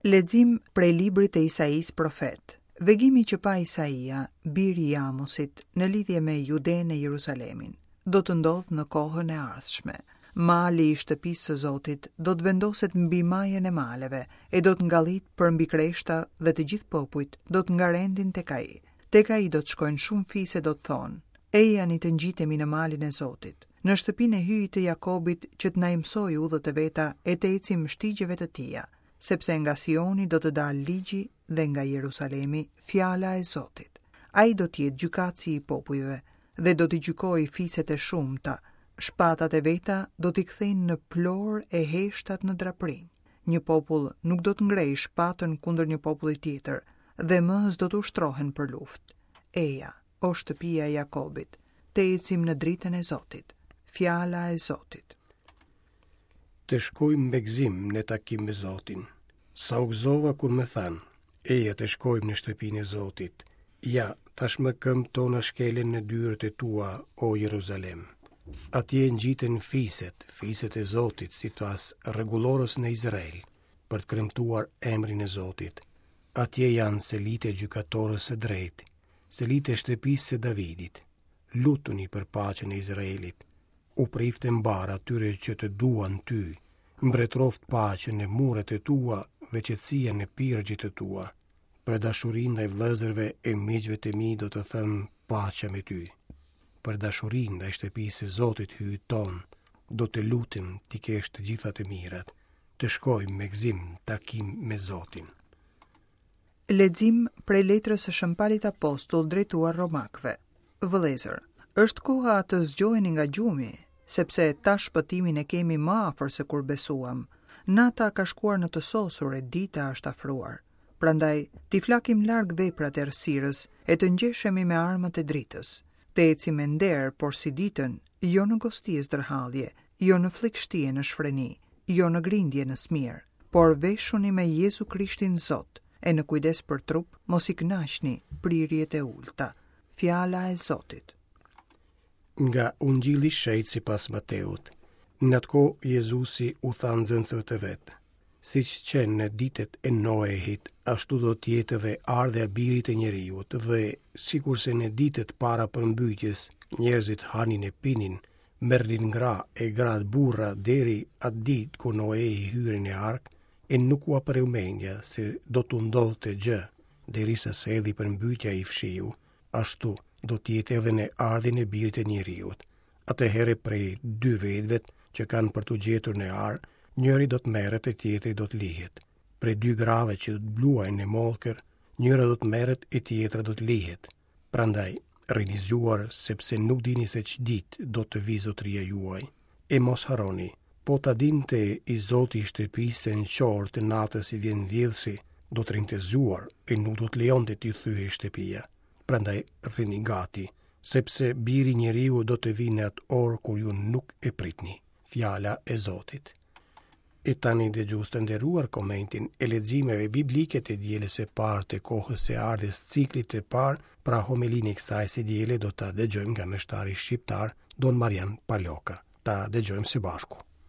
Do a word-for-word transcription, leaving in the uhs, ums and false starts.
Lexim prej librit të Isaisë profet. Vegimi që pa Isaia, biri i Amosit, në lidhje me Judenë e Jeruzalemin, do të ndodhë në kohën e ardhshme. Mali i shtëpisë së Zotit do të vendoset mbi majën e maleve e do të ngallit përmbi kreshta dhe të gjithë popujt do të ngarendin tek ai. Tek ai do të shkojnë shumë fise do të thonë: Ejani të ngjitemi në malin e Zotit, në shtëpinë e Hyjit të Jakobit që të na i mësojë udhët e veta e të ecim shtigjeve të tija, sepse nga Sioni do të dalë ligji dhe nga Jerusalemi fjala e Zotit. Ai do të jetë gjykatësi i popujve dhe do t'i gjykojë fiset e shumta. Shpatat e veta do t'i kthejnë në plor e heshtat në draprinj. Një popull nuk do të ngrejë shpatën kundër një populli tjetër dhe më s'do të ushtrohen për luftë. Eja, o shtëpia e Jakobit, të ecim në dritën e Zotit. Fjala e Zotit. Të shkojmë me gëzim në takim me Zotin. Sa u gëzova kur më thanë, eja të shkojmë në shtëpinë e Zotit. Ja, tashmë këmbët tona shkelen në dyert e tua, o Jeruzalem. Atje ngjiten fiset, fiset e Zotit, sipas rregullores në Izrael, për të kremtuar emrin e Zotit. Atje janë selitë e gjykatores së drejtë, selitë e shtëpisë së Davidit. Lutuni për paqen e Izraelit. U priftë mbarë atyre që të duan ty, mbretëroft paqen në muret e tua dhe qetësia në pirgjet e tua. Për dashurinë ndaj vëllezërve e miqve të mi do të them paqe me ty. Për dashurinë ndaj shtëpisë së Zotit Hyjit ton, do të lutem t'i kesh të gjitha të mirat, të shkojmë me gëzim takim me Zotin. Lexim prej letrës së Shën Palit Apostull drejtuar Romakëve. Vëllezër, është koha të zgjoheni nga gjumi, sepse tash shpëtimin e kemi më afër se kur besuam. Nata ka shkuar në të sosur e dita është afruar. Prandaj, t'i flakim larg veprat e errësirës e të ngjeshemi me armët e dritës. Të ecim me nder, por si ditën, jo në gosti e zdërhallje, jo në flikshti e në shfreni, jo në grindje në smirë, por veshuni me Jezu Krishtin Zot, e në kujdes për trup, mos i kënaqni prirjet e ulta. Fjala e Zotit. Nga Ungjilli i Shenjtë sipas Mateut. Në atë kohë Jezusi u tha nxënësve të vet: Siç qenë në ditët e Noehit, ashtu do të jetë edhe ardhja e birit të njeriut, dhe sikurse në ditët para përmbytjes, njerëzit hanin e pinin, merrnin gra e gratë burra deri atë ditë kur Noehi hyri në arkë, e nuk ua preu mendja se do t'u ndodhte gjë, derisa s'erdhi përmbytja i fshiu, ashtu do të jetë edhe në ardhjen e birit të njeriut. Atëherë prej dy vetëve që kanë për t'u gjetur në arë, njëri do të merret e tjetri do të lihet. Prej dy grave që do të bluajnë në mollkër, njëra do të merret e tjetra do të lihet. Prandaj, rrini zgjuar, sepse nuk dini se ç'ditë do të vijë zotëria juaj. E mos harroni, po ta dinte i zoti i shtëpisë se në ç'orë të natës i vjen vjedhësi, do të rrinte zgjuar e nuk do të lejonte t'i thyhej shtëpia. Prandaj rrini gati, sepse biri i njeriu do të vijë në atë orë kur ju nuk e pritni. Fjala e Zotit. E tani dëgjues të nderuar komentin e leximeve biblike të dielës së parë të kohës së ardhjes ciklit të parë, pra homelinë e kësaj së diele do ta dëgjojmë nga meshtari shqiptar Don Marian Paloka. Ta dëgjojmë së bashku.